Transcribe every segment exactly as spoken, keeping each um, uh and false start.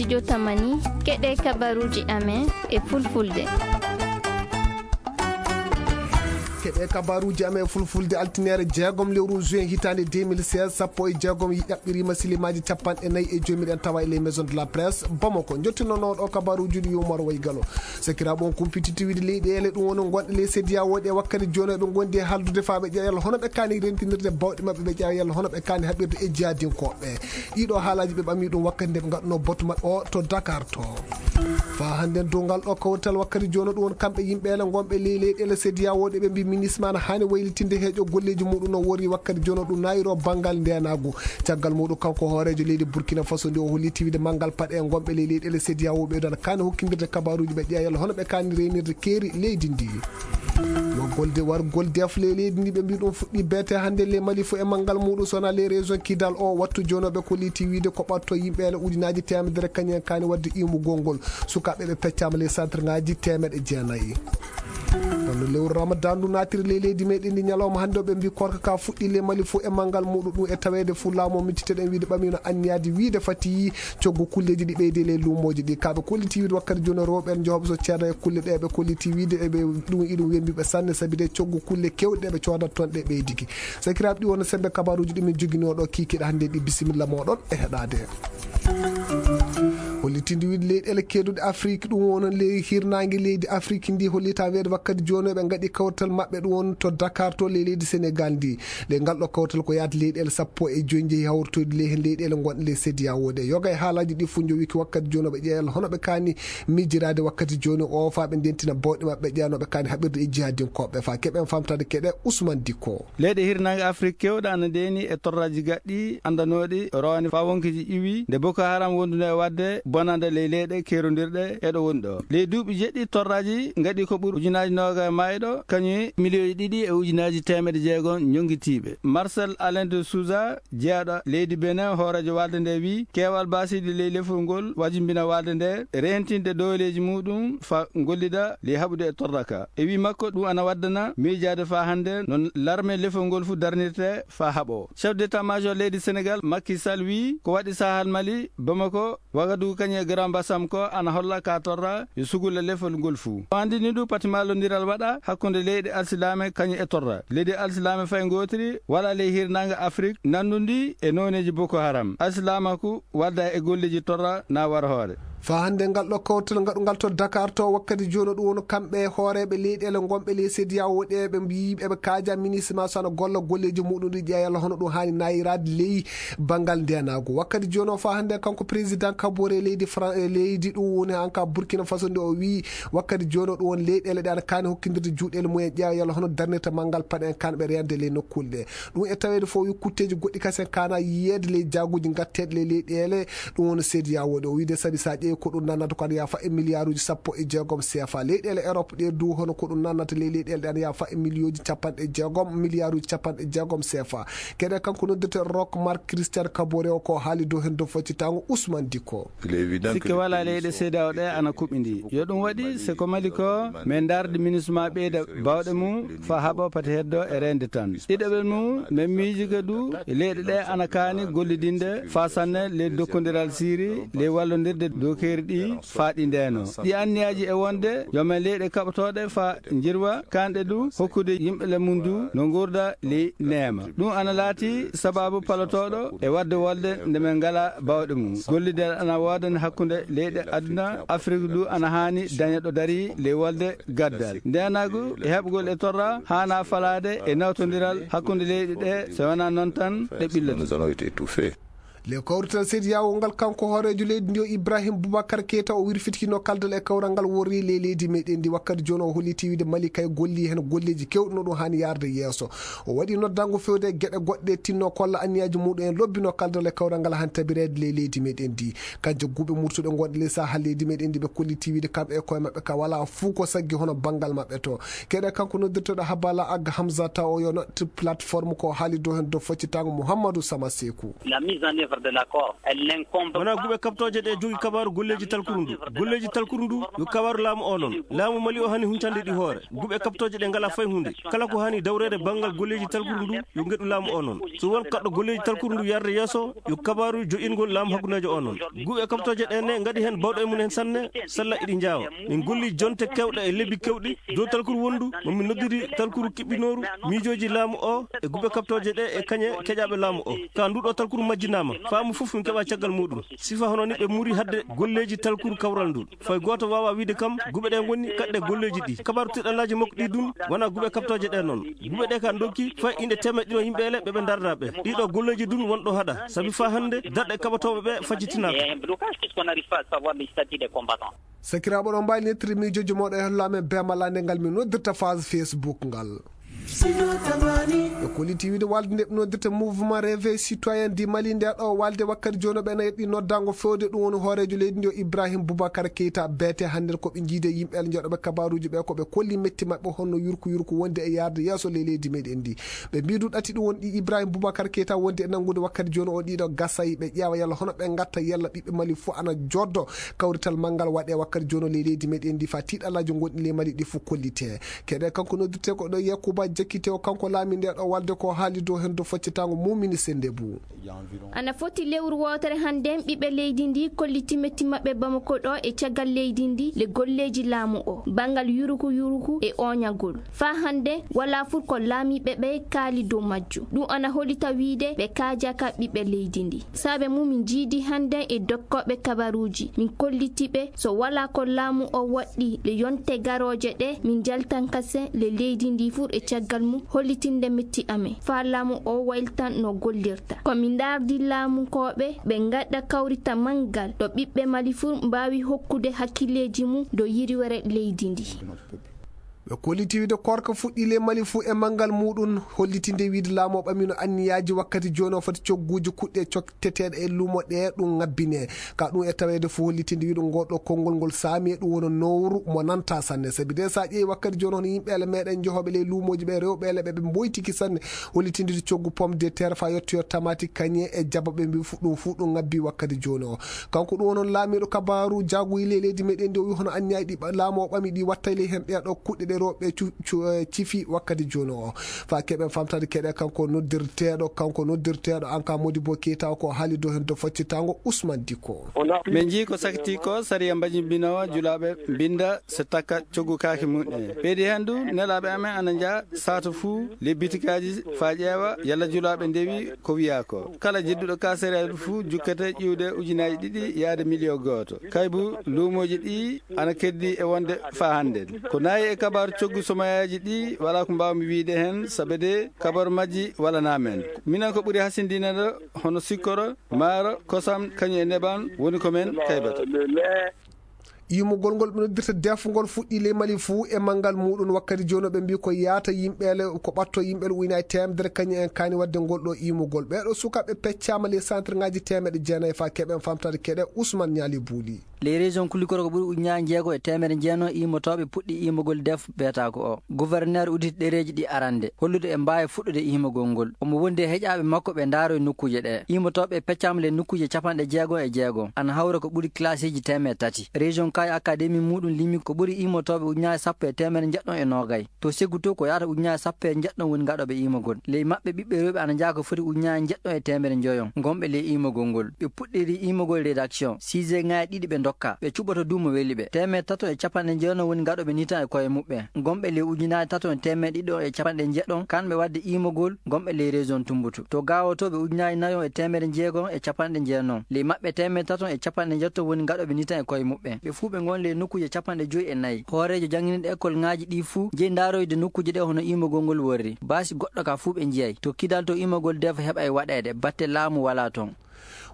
Studio Tamani, keɗe kabaruji amen e fulfulde. Keɗe kabaruji amen e fulfulde, altiniere jeegom lewru juin hitaande deux mille seize, sappo e jeegom ɗaɓɓirima silimaaji capanɗe nayi e joyi, miɗen tawa e les maisons de la presse Bamako. Jottinooɗo kabaruji ɗi Umar Waygalo. Sakiraaɓe, on kumpititti wiide leyɗeele ɗum woni gonɗe ley C D A O ɗe wakkati jooni ɓe ngondi e haaldude faa ɓe ƴeewa yalla hono ɓe kaani rentinirde bawɗe maɓɓe, ɓe ƴeewa yalla hono ɓe kaani haɓirde e jihadinkooɓe. Ɗiɗo haalaaji ɓe ɓami ɗum wakkati nde ɓe ngaɗunoo batu maɓɓe o to Dakar to. Faa hannde dow ngal ɗo kawrital wakkati jooni ɗum woni kamɓe yimɓe ele ngonɓe ley leyɗeele C D A O ɗe ɓe mbi ministre ma ana haani waylitinde heeƴo golleeji muɗum no worri wakkati jooni ɗum naayiro banngal ndeenaagu. Caggal muɗum kanko hooreejo leydi Burkina Faso ndi o holliti wiide manngal paɗe e ngonɓe ley leyɗeele C D A O ɓe ɗon kaani hokkindirde kabaruuji ɓe ƴeewa yalla hono ɓe kaani reynirde keeri leydi ndi. Wargol de, wargol def ley leydi ndi ɓe mbi ɗum fuɗɗi beete hannde ley Mali fo e manngal muɗum sona ley région Kidal o wattu jooni ɓe kolliti wiide ko ɓatto yimɓe ele ujunaaji teemedere kañum en kaani waɗde iwmugol ngol. Sukaaɓe ɓe peccaama ley centre ngaji teemeɗe jeenayi. Kono lewru Ramadan ndu naatiri ley leydi meɗen ndi ñalawma hannde o ɓe mbi korka ka fuɗɗi ley Mali fo e manngal muɗum ɗum e taweede fo laamu o micciteɗen wiide ɓamino anniyaade wiide fati coggu kulleeji ɗi ɓeydi e ley luumooji ɗi. Ka ɓe kolliti wiide wakkati jooni rewɓe en jehooɓe so ceeda e kulle ɗe ɓe kolliti wiide e ɓe ɗum iɗum wembiɓe sanne sabi de coggu kulle kewɗe ɗe ɓe coodat toon ɗe ɓeydiki. Sakiraaɓe ɗi wona sembe kabaruuji ɗi min joginoo ɗo kiikiiɗe hannde ɗi bisimilla mooɗon e heɗaade. Hollitinde wiide leyɗeele keeduɗe Afrik ɗum woni ley hirnaange leydi Afrik ndi hollita weede wakkati jooni ɓe ngaɗi kawtal maɓɓe ɗum woni to Dakar to ley leydi Senegal ndi. Ley ngal ɗo kawtal ko yaade leyɗeele sappo e joyi njehi hawritoyde ley heen leyɗeele gonɗe ley C D A O ɗe. Yoga e haalaaji ɗi fof njowiki wakkati jooni ɓe ƴeewa hono ɓe kaani miijiraade wakkati jooni o faa ɓe ndentina bawɗe maɓɓe ƴeewanooɓe kaani haɓirde e jihadinkooɓe faa keɓen famtaade keɗe Ousmane Dikko. Leyɗe hirnaange Afrik keewɗe ana ndeeni e torraaji gaɗɗi anndanooɗi rowane faa wonkeeji iwi nde Boko Haram wonduno e waɗde bonande ley leyɗe keerondirɗe e ɗo woni ɗo. Ley duuɓi jeɗɗi torraaji ngaɗi ko ɓuri ujunaaji noogaye maayɗo, kañum e miliyoji ɗiɗi e ujunaaji teemeɗe jeegom ñonngitiiɓe. Marcel Alain de Souza, jeyaɗo leydi Benin, hooreejo waalde nde wiyi keewal baasiiɗi ley lefol ngol wajimbina waalde nde reentinde dooleeji muɗum faa gollida ley haɓude e torra ka. E wii makko ɗum ana waddana miijaade faa hannde no larme lefol ngol fuu darnirte faa haɓoo. Chef d'état-major leydi Senegal, Macky Sall, wii ko waɗi Sahel Mali, Bamako, Wagadugu kañum e Grand Bassam ko ana holla ka torra yo sugula lefol ngol fuu. O anndini ɗum pati mallondiral waɗa hakkunde leyɗe alsilaame kañum e torra. Leydi alsilaame fay ngootiri wala ley hirnaange Afrik nanndundi e nooneeji Boko Haram. Alsilaamaku wadda e golleeji torra na war hoore. Faa hannde ngal ɗo kawtal ngaɗungal to Dakar to wakkati jooni ɗum woni kamɓe hooreeɓe leyɗeele ngonɓe ley C D A O ɗe ɓe mbiyi ɓe kaaja ministre ma so ana golla golleeji muɗum ɗi ƴeewa yalla hono ɗum haani naayiraade ley banngal ndeenaagu. Wakkati jooni o faa hannde kanko président Kabore leydi Fran-, eh, leydi ɗum woni hanka Burkina Faso nde o wiyi wakkati jooni o ɗum woni leyɗeele ɗe ana kaani hokkindirde juuɗeele mumen ƴeewa yalla hono darnirta manngal paɗe en kanɓe reende ley nokkuule ɗe. Ɗum e taweede fof yo kutteeji goɗɗi kasen kaana yiyeede ley jaaguuji ngatteeɗi ley leyɗeele ɗum woni C D A O ɗe. O wiide sabi so a ƴeewi ko ɗum nannata ko ana yaafa e miliyaaruuji sappo e jeegom C F A. Leyɗeele Europe ɗe du hono ko ɗum nannata ley leyɗeele ɗe ana yaafa e miliyooji capanɗe jeegom, miliyaaruuji capanɗe jeegom C F A. Kede kanko noddirte Rock Mark Christian Kabore o ko haali dow heen dow foccitaango Ousmane Dikko. Sikke walaa leyɗe C D A O ɗe ana kuɓɓindi. Yo ɗum waɗi se ko Mali ko men ndaarde ministre ma ɓeyda baawɗe mum faa haɓa pati heddo e reende tan. Ɗiɗaɓel mum men miiji ka du e leyɗe ɗe ana kaani gollidinde faa sanne ley dokkondiral siiri ley wallondirde dokeeri ɗi faa ɗi ndeeno. Ɗi anniyaaji e wonde yo men leyɗe kaɓotooɗe faa njirwa kanɗe du hokkude yimɓe le mum du no nguurda ley neema. Ɗum ana laati sabaabu palotooɗo e waɗde wolde nde men ngalaa baawɗe mum. Gollidal ana woodani hakkunde leyɗe aduna. Afrik du ana haani daña ɗo darii ley wolde gaddal. Ndeenaagu e heɓgol e torra haana falaade e nawtondiral hakkunde leyɗe ɗe, so wanaa noon tan ɗe ɓilloto. Nous allons être étouffés. Le kawrital C D A O ngal kanko hooreejo leydi ndi o Ibrahim Boubacar Keita o wirfitikino kaldal e kawral ngal worri ley leydi meɗen ndi wakkati jooni o holliti wiide Mali kay golli heen golleeji kewɗi no ɗum haani yaarde yeeso. O waɗi noddango fewde e geɗe goɗɗe tinno kolla anniyaaji muɗum en lobbino kaldal e kawral ngal han tabireede ley leydi meɗen ndi. Kan jagguɓe murtuɗe gonɗe ley saha leydi meɗen ndi ɓe kolliti wiide kamɓe e koye maɓɓe ka wala fuu ko saggi hono banngal maɓɓe to. Keɗe kanko noddirtoɗo Habala Ag Hamzata o yo nodde plateforme ko haali dow heen dow foccitaango Mouhamadou Sama Sekou. La mise en œuvre Wonaa guɓe kaɓtooje ɗe jogi kabaaru golleeji talkuru ndu. Golleeji talkuru ndu yo kabaaru laamu o noon. Laamu Mali o hani huncande ɗi hoore. Guɓe kaɓtooje ɗe ngalaa fay huunde. Kala ko hani dawreede banngal golleeji talkuru ndu yo ngeɗu laamu o noon. So won kaɗɗo golleeji talkuru ndu yarde yeeso, yo kabaaru joƴƴingol laamu hakkundeejo o noon. Guɓe kaɓtooje ɗe ne ngaɗi heen bawɗo e mum heen sanne, sella iɗi njaawa. Min golli jonte keewɗe e lebbi keewɗi, dow talkuru wonndu, mo min noddiri talkuru kiɓɓinooru, miijooji laamu o e guɓe kaɓtooje ɗe e kañe keƴaaɓe laamu o. Ka nduɗo talkuru majjinaama, faamu fof min keɓa caggal muɗum. Sifa hono ni ɓe muri hadde golleeji talkuru kawral ndu. Fay gooto waawaa wiide kam guɓe ɗe ngoni kaɗɗe golleeji ɗi. Kabaaru tiɗallaaji makko ɗi dun wonaa guɓe kaɓtooje ɗe noon. Guɓe ɗe ka ndokki fay inde teemeɗɗe ɗiɗo yimɓe ele ɓe ɓe dardaa ɓe. Ɗiɗo golleeji dun wonɗo haɗa. Sabi faa hannde darɗe kaɓotooɓe ɓe fajjitinaaka. Sakiraaɓe, oɗon mbaawi nettude miijooji mooɗon e holla amen bee malla nde ngal min noddirta phase Facebook ngal. Ɓe kolliti wiide walde nde ɓe noddirta Mouvement Réveil Citoyen du Mali, nde ɗo walde wakkati jooni ɓe ena yeɗɗi noddaango fewde ɗum woni hooreejo leydi ndi o Ibrahim Boubacar Keita. Beete hannde ko ɓe njiide yimɓe ele jooɗooɓe kabaaruuji ɓe ko ɓe kolli metti maɓɓe honno yurku yurku wonde e yaarde yeeso ley leydi meɗen ndi. Ɓe mbii du ɗati ɗum woni ɗi Ibrahim Boubacar Keita wondi e nanngude wakkati jooni o ɗiɗo gasay ɓe ƴeewa yalla hono ɓe ngatta yalla ɓiɓɓe Mali fof ana joddo kawrital manngal waɗe wakkati jooni o ley leydi meɗen ndi fa tiiɗalaaji gonɗi ley Mali ɗi fof kollite. Keɗe kanko noddirte ko ɗo Yakuba Jakkite o kanko laami nde ɗo walde ko haali dow heen dow foccitaango mumini sende bu. Ana foti lewru wootere hannde ɓiɓɓe leydi ndi kolliti metti maɓɓe Bamako ɗo e caggal leydi ndi le golleeji laamu o banngal yuruku yuruku e oñagol. Faa hannde walaa fur ko laamiiɓe ɓe kaali dow majjum. Ɗum ana holita wiide ɓe kaajaaka ɓiɓɓe leydi ndi. Saabe mum min njiidi hannde e dokkooɓe kabaruuji, min kolliti ɓe so walaa ko laamu o waɗɗi le yonte garooje ɗe, min njaltan kase le leydi ndi fur e caggal mum hollitinde metti amen. Faa laamu o wayltan no gollirta. Ko min ndaardi laamukooɓe ɓe ngaɗa kawrita manngal ɗo ɓiɓɓe Mali fur mbaawi hokkude hakkilleeji mum dow yiriwere leydi ndi. Ɓe kolliti wiide korka fuɗɗi ley Mali fuu e manngal muuɗum, hollitinde wiide laamu o ɓamino anniyaaji wakkati jooni o foti cogguuji kuɗɗe cokteteeɗe e luumo ɗe ɗum ŋabbine. Ka ɗum e taweede fuu hollitinde wiide ngol ɗo konngol ngol saami e ɗum wona nowru mo nanta sanne. Sabi de so a ƴeewi wakkati jooni hono yimɓe ele meɗen jehooɓe ley luumooji ɓe rewɓe ele ɓe ɓe mboytiki sanne, hollitinde coggu pomme de terre fa yettoyo tamati kañe e jaba ɓe mbi fu-, ɗum fuu ɗum ŋabbi wakkati jooni o. Kanko ɗum wonon laamiiɗo kabaaru jaaguyi ley leydi meɗen ndi o wi hono anniyaji ɗi ɓa-, laamu o ɓami ɗi wattay ley heen ɗee ɗo kuɗɗe ɗe rewɓe cu-, cu-, eh, cifi wakkati jooni o. Fa keɓen famtade keɗe kanko noddirteeɗo, kanko noddirteeɗo an ka Modibo Keita ko haali dow heen dow faccitango Ousmane Dicko. Min njii ko sakiti ko sariya mbajimbinoowa julaaɓe mbinda so takka coggu kaake mum en. Ɓeydi heen du nelaaɓe amen ana njaa sato fuu le bitikaaji fa ƴeewa yalla julaaɓe ndewi ko wiyaa ko. Kala jedduɗo ka sariya fuu jukkete ƴiwde ujunaaji ɗiɗi yaade miliyo gooto. Kaybu luumooji ɗi ana keddi e wonde fa hannde. Ko nayi e kabaaru coggu somayaaji ɗi walaa ko mbaawmi wiide heen sabe de kabaaru majji walanaa men. Minen ko ɓuri hasindinede hono sikkoro, maaro, kosam, kañum e neban woni ko men kaybata. Iimugol ngol ɓe noddirta defgol fuɗɗi ley Mali fuu e manngal muuɗum wakkati jooni ɓe mbii ko yaata yimɓeele, ko ɓatto yimɓeele ujunaaji teemedere kañum en kaani waɗde ngol ɗo iimugol. Ɓee ɗo sukaaɓe peccaama ley centre ŋaaji teemeɗe jeenayi fa keɓen famtade keɗe Ousmane Ñaali Buuli. Ley région Kulikoro ko ɓuri ujunaaji jeego e teemedere jeenayi iimotooɓe puɗɗi iimugol def beetaako o. Gouverneur udditi ɗereeji ɗi arande, hollude e mbaawi fuɗɗude iimugol ngol. Omo wondi e heƴaaɓe makko ɓe ndaaro e nokkuuje ɗe. Iimotooɓe peccaama ley nokkuuje capanɗe jeego e jeego. Ana hawra ko ɓuri classiji teemeɗe tati. Région Kaay Académie muuɗum limi ko ɓuri iimotooɓe ujunaaji sappo e teemedere njeɗɗon e noogay. To Seggu to ko yaata ujunaaji sappo e njeɗɗon woni ngaɗooɓe iimugol. Ley maɓɓe ɓiɓɓe rewɓe ana njaha ko foti ujunaaji njeɗɗon e teemedere njoyon, ngonɓe ley iimugol ngol. Ɓe puɗɗiri iimugol rédaction. Siise ŋaaji ɗiɗi ɓe ndokka. Ɓe cuɓoto du mo weli ɓe. Teemedere tato e capanɗe njeeɗon woni ngaɗooɓe nitan e koye muɓɓen. Ngonɓe ley ujunaaji tato e teemedde ɗiɗo e capanɗe njeeɗon, kamɓe waɗde iimugol, ngonɓe ley région Tumbutu. To gaawotooɓe ujunaaji nayo e teemedde jeego e capanɗe jeenayi. Ley maɓɓe teemedde tato e capanɗe njeeto woni ngaɗooɓe nitan e koye muɓɓen. Ɓe fuu ɓe ngon ley nokkuuje capanɗe joyi e nayi. Hooreejo jannginirɗe ekol ŋaaji ɗi fuu jeyi ndaaroyde nokkuuje ɗe hono iimugol ngol worri. Baasi goɗɗo ka fuu ɓe njiyay. To kidal to iimugol def heɓay waɗeede, batte laamu walaa toon.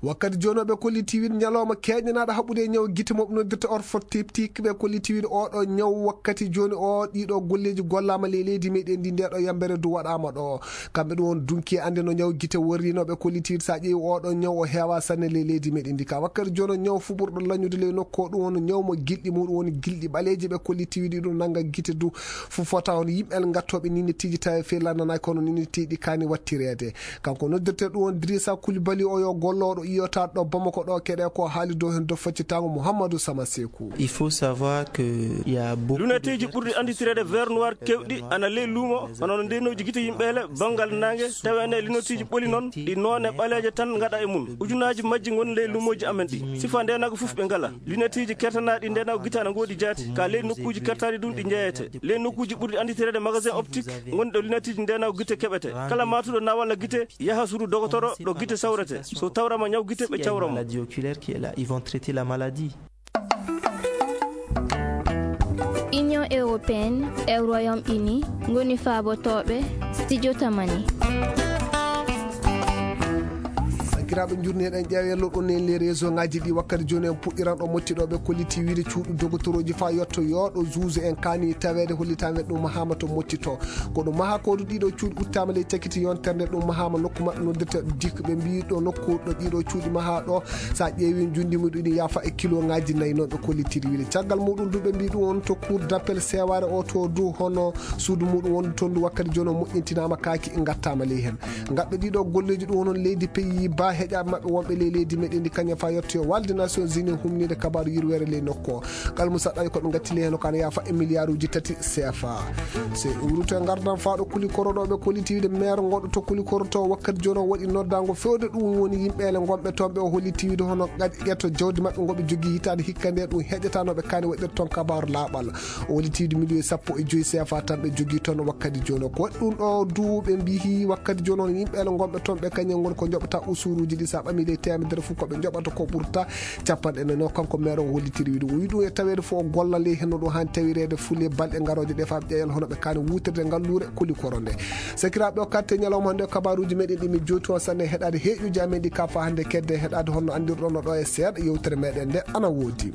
Wakkati jooni o ɓe kolliti wiide ñalawma keeñanaaɗo haɓude e ñaw gite mo ɓe noddirta orthoptique ɓe kolliti wiide oo ɗoo ñaw wakkati jooni o ɗiɗo golleeji gollaama ley leydi meɗen ndi nde ɗo yambere du waɗaama ɗo. Kamɓe ɗum won dunki e annde no ñaw gite worri no ɓe kolliti wiide so a ƴeewi oo ɗoo ñaw o heewa sanne ley leydi meɗen ndi ka wakkati jooni o ñaw fuɓurɗo lañude ley nokku o ɗum won ñaw mo gilɗi muɗum woni gilɗi ɓaleeji ɓe kolliti wiide ɗum nannga gite du fu fota on yimɓe ngattooɓe ninitiiji tawi fey lannanaaki kono ninitiiɗi kaani wattireede. Kanko noddirte ɗum won Drissa Koulibaly o yo gol Looɗo iyotaaɗo ɗo Bamako ɗo keɗe ko haali dow heen dow faccitaango Mouhamadou Sama Sekou. Il faut savoir que il y a beaucoup de luneteeji ɓurɗi anditireede vert noir kewɗi ana ley luumo, hono no ndeenooji gite yimɓe ele banngal naange, tawa ene luneteeji ɓoli noon, ɗi noone ɓaleeje tan ngaɗa e mum. Ujunaaji majji ngoni ley luumooji amen ɗi. Sifa ndeenaagu fof ɓe ngala. Luneteeji kertanaaɗi ndeenaagu gite ana ngoodi jaati, ka ley nokkuuji kertaaɗi ɗum ɗi njeeyete. Ley nokkuuji ɓurɗi anditireede magasin optique, ngoni ɗo luneteeji ndeenaagu gite keɓete. Kala matuɗo nawalla gite, yaha suudu dogotoro ɗo gite sawrete. So tawrama ñaw gite, ɓe cawra mo. Maladie oculaire qui est là, ils vont traiter la maladie. Union européenne e Royaume-Uni ngoni faabotooɓe studio Tamani. Sakiraaɓe, njurni eɗen ƴeewa yallo ɗon e les réseau ngaji ɗi wakkati jooni en puɗɗiran ɗo motti ɗo ɓe kolliti wiide cuuɗi dogotoroji fa yotto yooɗo juge en kaani taweede hollitaande ɗum mahaama to motti to. Ko ɗum maha kodu ɗiɗo cuuɗi uttaama ley cakiti yontere nde ɗum mahaama nokku maɓɓe noddirta dik ɓe mbi ɗo nokku ɗo ɗiɗo cuuɗi maha ɗo sa ƴeewi njundi muɗum ɗi yaafa e kilo ngaji nayi noon ɓe kollitiri wiide. Caggal muɗum du ɓe mbi ɗum on to cour d'appel seware o to du hono suudu muɗum wondu toon du wakkati jooni o moƴƴintinaama kaaki ngattaama ley heen. Ngaɓɓe ɗiɗo golleeji ɗum hono leydi pays ba heƴaaɓe maɓɓe wonɓe ley leydi meɗen ndi kañum fa yettoyo walde Nations Unies humnide kabaaru yirweere ley nokku o. Kalmu saɗɗaji ko ɓe ngatti ley heen o kana yaafa e miliyaaruuji tati C F A. Se uruto e ngardan faaɗo kuli koroɗo ɓe kolliti wiide maire ngoɗo to kuli koroto wakkati jooni o waɗi noddango fewde ɗum woni yimɓe ele ngonɓe toon ɓe o holliti wiide hono ƴetto jawdi maɓɓe ngoɓe jogii hitaande hikka nde ɗum heƴatanoɓe kaani waɗir toon kabaaru laaɓal. O woni tiiɗi miliyoŋ sappo e joy C F A tan ɓe jogii toon wakkati jooni o. Ko waɗi ɗum ɗo duuɓe mbiyi wakkati jooni on yimɓe ele ngonɓe toon ɓe kañum ngoni ko njoɓata usuruuji ɗi sa ɓami ley teemedere fof ko ɓe njoɓata ko ɓurta capanɗe nayi o. Kanko maire o hollitiri wiide o wi ɗum e taweede fof o golla ley henno ɗum haan tawireede fule balɗe ngarooje ɗe faa ɓe ƴeewa hono ɓe kaani wuutirde ngalluure kuli koro nde. Sakiraaɓe o katte ñalawma hannde o kabaaruuji meɗen ɗi min jowti on sanne heɗaade heeƴuuji amen ɗi ka faa hannde kedde heɗaade honno anndirɗon no ɗo e seeɗa yewtere meɗen nde ana woodi.